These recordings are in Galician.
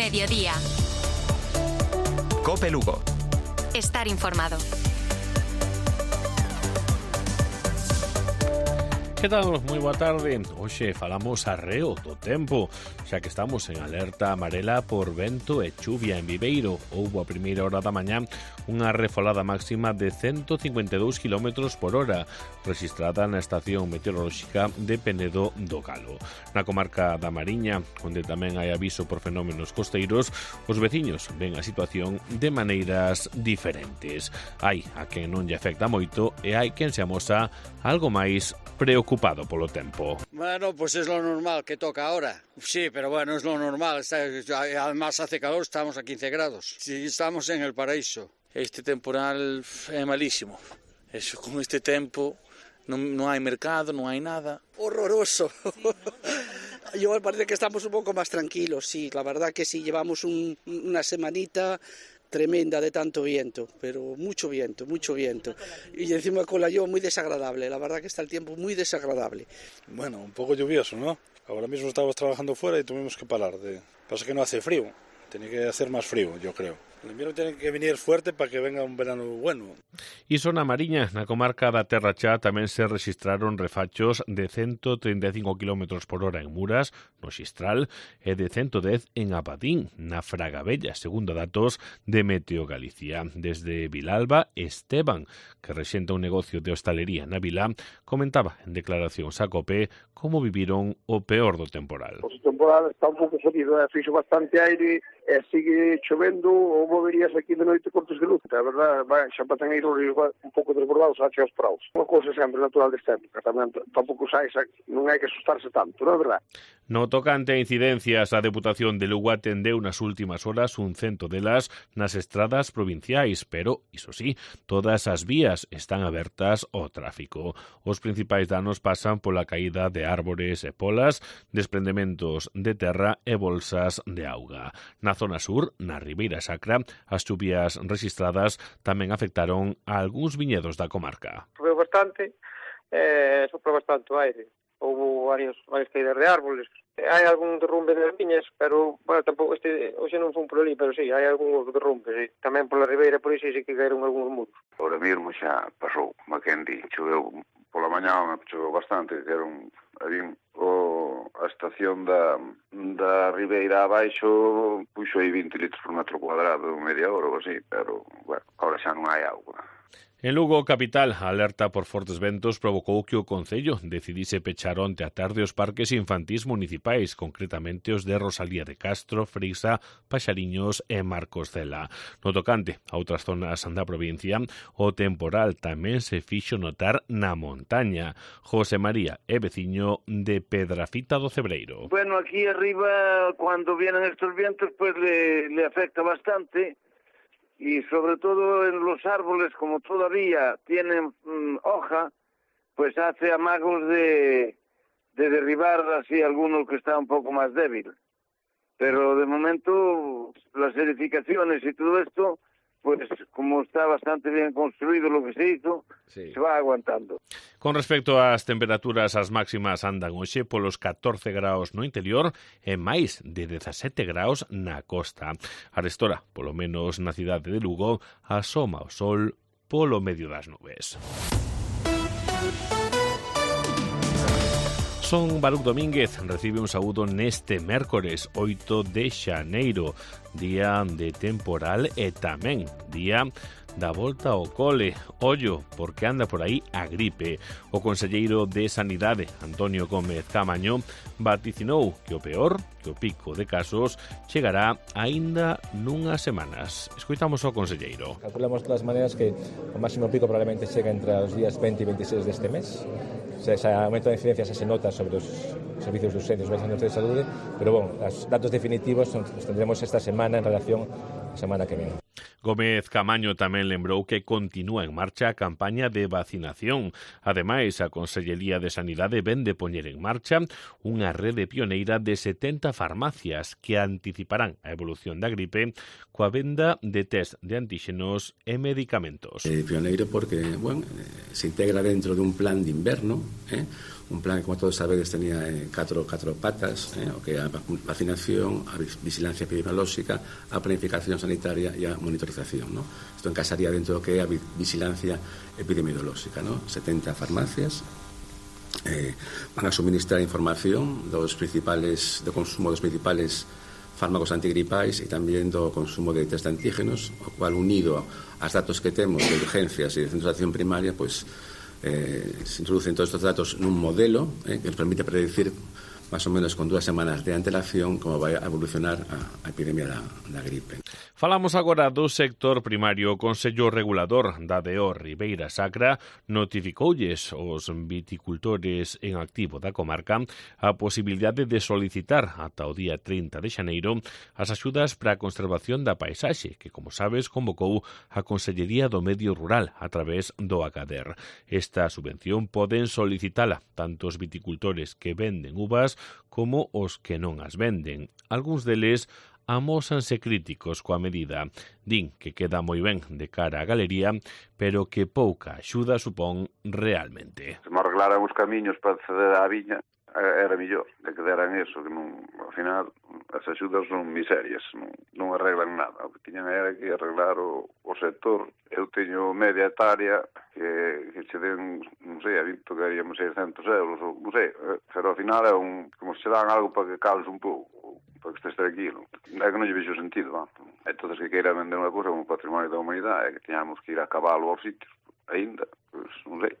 Mediodía. COPE Lugo. Estar informado. Que tal? Moi boa tarde. Hoxe falamos arreo do tempo, xa que estamos en alerta amarela por vento e chuvia en Viveiro. Houbo a primeira hora da mañá unha refolada máxima de 152 km por hora, registrada na estación meteorolóxica de Penedo do Galo. Na comarca da Mariña, onde tamén hai aviso por fenómenos costeiros, os veciños ven a situación de maneiras diferentes. Hai a quen non lle afecta moito e hai quen se amosa algo máis preocupado polo tempo. Bueno, pues es lo normal que toca ahora. Sí, pero bueno, es lo normal. Además hace calor, estamos a 15 grados. Sí, estamos en el paraíso. Este temporal é malísimo. Eso, con este tempo non hai mercado, non hai nada. Horroroso. Yo parece que estamos un poco más tranquilos, sí. La verdad que sí, llevamos una semanita tremenda de tanto viento, pero mucho viento. Y encima con la lluvia muy desagradable, la verdad que está el tiempo muy desagradable. Bueno, un poco lluvioso, ¿no? Ahora mismo estábamos trabajando fuera y tuvimos que parar. Pasa que no hace frío, tiene que hacer más frío, yo creo. El invierno tiene que venir fuerte para que venga un verano bueno. Iso na Mariña, na comarca da Terra Chá, tamén se registraron refachos de 135 km por hora en Muras, no Xistral, e de 110 en Apadín, na Fragabella, segundo datos de Meteo Galicia. Desde Vilalba, Esteban, que rexenta un negocio de hostalería na vila, comentaba en declaracións a COPE como viviron o peor do temporal. O temporal está un pouco jodido, fixo bastante aire e sigue chovendo, ou moverías aquí de noite cortes de luz. A verdade, xa para tener os ríos un pouco desbordados hacia os praus. Unha cousa sempre natural desta época, tamén tampouco non hai que asustarse tanto, non é verdade? No tocante a incidencias, a Deputación de Lugo atendeu nas últimas horas un 100 delas nas estradas provinciais, pero, iso sí, todas as vías están abertas ao tráfico. Os principais danos pasan pola caída de árbores e polas, desprendementos de terra e bolsas de auga. Na zona sur, na Ribeira Sacra, as chuvias registradas tamén afectaron a algúns viñedos da comarca. Choveu bastante, soprou bastante o aire. Houve varias caídas de árboles. Hai algún derrumbe de viñas, pero, bueno, tampouco hoxe non fun por ali, pero sí, hai algúns derrumbes. Tamén pola Ribeira, por iso, sí que caeron algúns muros. Ahora mesmo xa pasou, Mackendy, choveu pola mañá, choveu bastante, que era a estación da Ribeira abaixo puxo aí 20 litros por metro cuadrado, media hora ou así, pero, bueno, ahora xa non hai auga. En Lugo capital, a alerta por fortes ventos provocou que o Concello decidise pechar onte a tarde os parques infantís municipais, concretamente os de Rosalía de Castro, Freisa, Paxariños e Marcos Cela. No tocante a outras zonas da provincia, o temporal tamén se fixo notar na montaña. José María é veciño de Pedrafita do Cebreiro. Bueno, aquí arriba, cuando vienen estos vientos, pues le afecta bastante. Y sobre todo en los árboles, como todavía tienen hoja, pues hace amagos de derribar así alguno que está un poco más débil. Pero de momento las edificaciones y todo esto, pues como está bastante bien construido lo que se hizo, sí, se va aguantando. Con respecto ás temperaturas, as máximas andan hoxe polos 14 graus no interior e máis de 17 graus na costa. Arestora, polo menos na cidade de Lugo, asoma o sol polo medio das nubes. Son Baruch Domínguez recibe un saúdo neste mércores 8 de xaneiro, día de temporal e tamén día da volta ao cole. Ollo, porque anda por aí a gripe. O conselleiro de Sanidade, Antonio Gómez Camaño, vaticinou que o peor, que o pico de casos, chegará aínda nunhas semanas. Escoitamos ao conselleiro. Calculamos de todas maneiras que o máximo pico probablemente chega entre os días 20 e 26 deste mes. Ese aumento de incidencia se nota sobre os servicios de urgencias dos centros de saúde, pero bueno, os datos definitivos os tendremos esta semana en relación á semana que viene. Gómez Camaño tamén lembrou que continúa en marcha a campaña de vacinación. Ademais, a Consellería de Sanidade ven de poñer en marcha unha rede pioneira de 70 farmacias que anticiparán a evolución da gripe coa venda de test de antíxenos e medicamentos. Pioneiro porque, bueno, se integra dentro dun plan de inverno, un plan que, como todos sabedes, tenía catro patas, o que a vacinación, a vigilancia epidemiolóxica, a planificación sanitaria e a monitorización, ¿no? Isto encaixaría dentro do que é a vigilancia epidemiolóxica, ¿no? 70 farmacias van a suministrar información do consumo dos principales fármacos antigripais e tamén do consumo de test de antígenos, o cual, unido aos datos que temos de urgencias e de centros de atención primaria, pues se introducen todos estos datos nun modelo que nos permite predecir máis ou menos con 2 semanas de antelación como vai a evolucionar a epidemia da gripe. Falamos agora do sector primario. O Consello Regulador da DO Ribeira Sacra notificoulles aos viticultores en activo da comarca a posibilidade de solicitar ata o día 30 de xaneiro as axudas para a conservación da paisaxe, que, como sabes, convocou a Consellería do Medio Rural a través do ACADER. Esta subvención poden solicitala tanto os viticultores que venden uvas como os que non as venden. Algúns deles amósanse críticos coa medida. Din que queda moi ben de cara á galería, pero que pouca axuda supón realmente. Se me arreglaran os camiños para acceder á viña, era mellor de que deran eso, que non, ao final as axudas son miserias, non arreglan nada. O que tiñan era que arreglar o sector. Eu teño media hectárea que che den, non sei, a Vinto que haríamos 600 euros, ou non sei, pero ao final é como se dan algo para que cales un pouco, para que estés tranquilo. É que non lle vexo sentido, va. Entonces, que queira vender unha cousa como patrimonio da humanidade, que teñamos que ir a cabalo aos sitios, ainda, pues, non sei.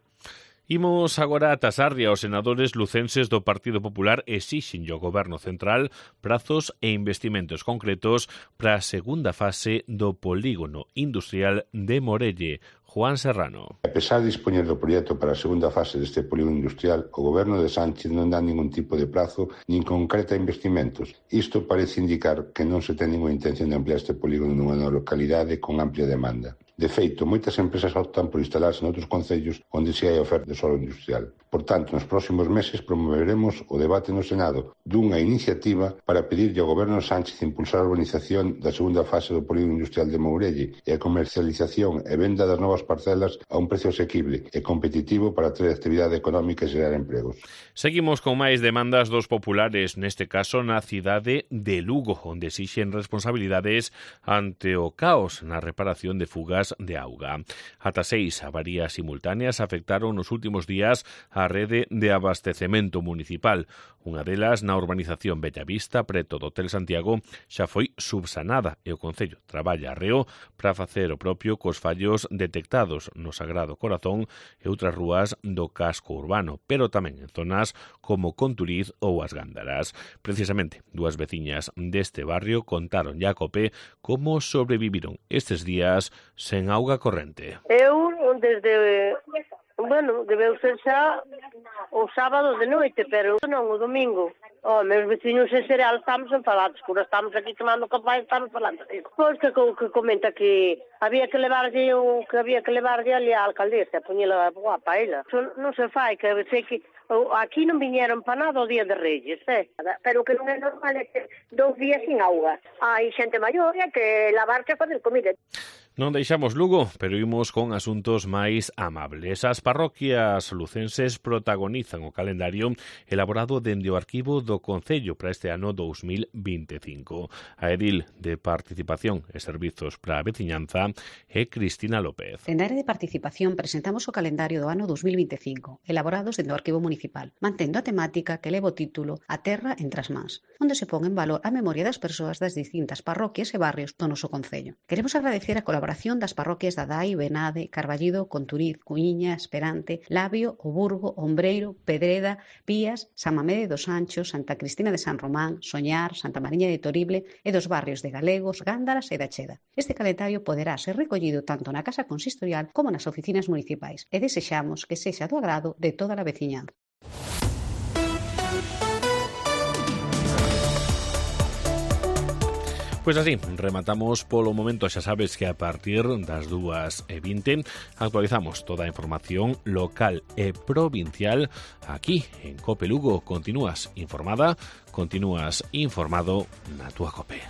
Imos agora a Tasarria. Os senadores lucenses do Partido Popular exixen ao Goberno Central prazos e investimentos concretos para a segunda fase do polígono industrial de Morelle. Juan Serrano. A pesar de dispoñer do proxecto para a segunda fase deste polígono industrial, o Goberno de Sánchez non dá ningún tipo de prazo nin concreta investimentos. Isto parece indicar que non se ten ninguna intención de ampliar este polígono nunha localidade con amplia demanda. De feito, moitas empresas optan por instalarse noutros concellos onde se hai oferta de solo industrial. Por tanto, nos próximos meses promoveremos o debate no Senado dunha iniciativa para pedirlle ao Goberno Sánchez impulsar a urbanización da segunda fase do polígono industrial de Mourelle e a comercialización e venda das novas parcelas a un precio asequible e competitivo para atraer actividade económica e xerar empregos. Seguimos con máis demandas dos populares, neste caso na cidade de Lugo, onde exixen responsabilidades ante o caos na reparación de fugas de auga. Ata 6 avarías simultáneas afectaron nos últimos días a rede de abastecemento municipal. Unha delas na urbanización Bellavista, preto do Hotel Santiago, xa foi subsanada e o Concello traballa arreo para facer o propio cos fallos detectados no Sagrado Corazón e outras rúas do casco urbano, pero tamén en zonas como Conturiz ou As Gándaras. Precisamente, dúas veciñas deste barrio contaron a COPE como sobreviviron estes días sen auga corrente. Eu, desde... debeu ser xa o sábado de noite, pero non o domingo. Meus veciños en Cereal estamos enfadados, porque estamos aquí tomando café e estamos falando. Pois que comenta que había que levarlle ali á alcaldesa, poñela guapa ela. Non se fai, que sei que aquí non viñeron para nada o día de Reyes, pero que non é normal é que 2 días sin auga. Hai xente maior que lavarse a fazer comida. Non deixamos Lugo, pero imos con asuntos máis amables. As parroquias lucenses protagonizan o calendario elaborado dende o arquivo do Concello para este ano 2025. A edil de Participación e Servizos para a Veciñanza é Cristina López. Dende a área de Participación presentamos o calendario do ano 2025, elaborados dende o arquivo municipal, mantendo a temática que leva o título A Terra entre as mans, onde se pon en valor a memoria das persoas das distintas parroquias e barrios do noso Concello. Queremos agradecer a colaboración das parroquias da Dai, Benade, Carballido, Conturiz, Cuíña, Esperante, Labio, O Burgo, Ombreiro, Pedreda, Pías, San Mamede dos Anchos, Santa Cristina de San Román, Soñar, Santa Mariña de Torible e dos barrios de Galegos, Gándaras e da Cheda. Este calendario poderá ser recollido tanto na Casa Consistorial como nas oficinas municipais e desexamos que sexa do agrado de toda a veciñanza. Pois así, rematamos polo momento. Xa sabes que a partir das 2:20 actualizamos toda a información local e provincial aquí en COPE Lugo. Continúas informada, continúas informado na túa COPE.